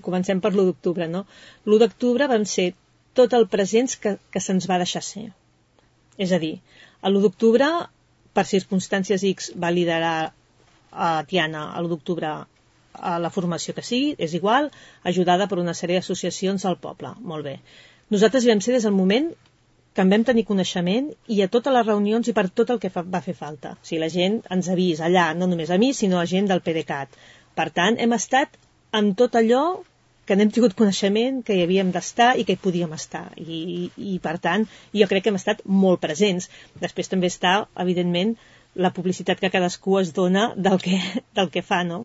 comencem per l'1 d'octubre, no? L'1 d'octubre vam ser tot el presents que se'ns va deixar ser. És a dir, l'1 d'octubre, per circumstàncies X, va liderar a Tiana l'1 d'octubre a la formació que sigui, és igual, ajudada per una sèrie d'associacions del poble. Molt bé. Nosaltres hi vam ser des del moment que en vam tenir coneixement i a totes les reunions i per tot el que va fer falta. O sigui, la gent ens ha vist allà, no només a mi, sinó a gent del PDeCAT. Per tant, hem estat amb tot allò que n'hem tingut coneixement, que hi havíem d'estar i que hi podíem estar. I per tant, jo crec que hem estat molt presents. Després també està, evidentment, la publicitat que cadascú es dona del que fa, no?